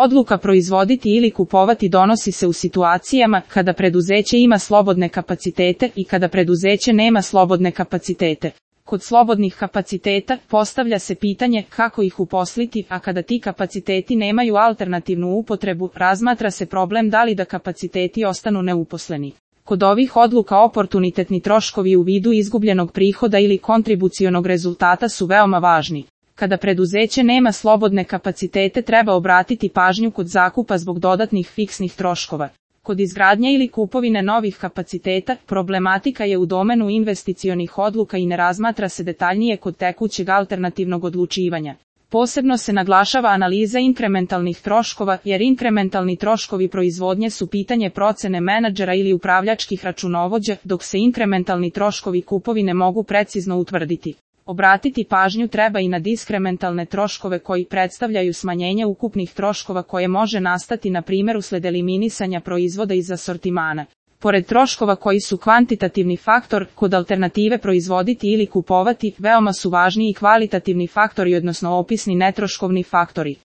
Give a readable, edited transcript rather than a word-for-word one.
Odluka proizvoditi ili kupovati donosi se u situacijama kada preduzeće ima slobodne kapacitete i kada preduzeće nema slobodne kapacitete. Kod slobodnih kapaciteta postavlja se pitanje kako ih uposliti, a kada ti kapaciteti nemaju alternativnu upotrebu, razmatra se problem da li da kapaciteti ostanu neuposleni. Kod ovih odluka oportunitetni troškovi u vidu izgubljenog prihoda ili kontribucionog rezultata su veoma važni. Kada preduzeće nema slobodne kapacitete, treba obratiti pažnju kod zakupa zbog dodatnih fiksnih troškova. Kod izgradnje ili kupovine novih kapaciteta, problematika je u domenu investicionih odluka i ne razmatra se detaljnije kod tekućeg alternativnog odlučivanja. Posebno se naglašava analiza inkrementalnih troškova, jer inkrementalni troškovi proizvodnje su pitanje procene menadžera ili upravljačkih računovođa, dok se inkrementalni troškovi kupovine mogu precizno utvrditi. Obratiti pažnju treba i na diskrementalne troškove koji predstavljaju smanjenje ukupnih troškova koje može nastati na primjer usled eliminisanja proizvoda iz asortimana. Pored troškova koji su kvantitativni faktor, kod alternative proizvoditi ili kupovati, veoma su važni i kvalitativni faktori odnosno opisni netroškovni faktori.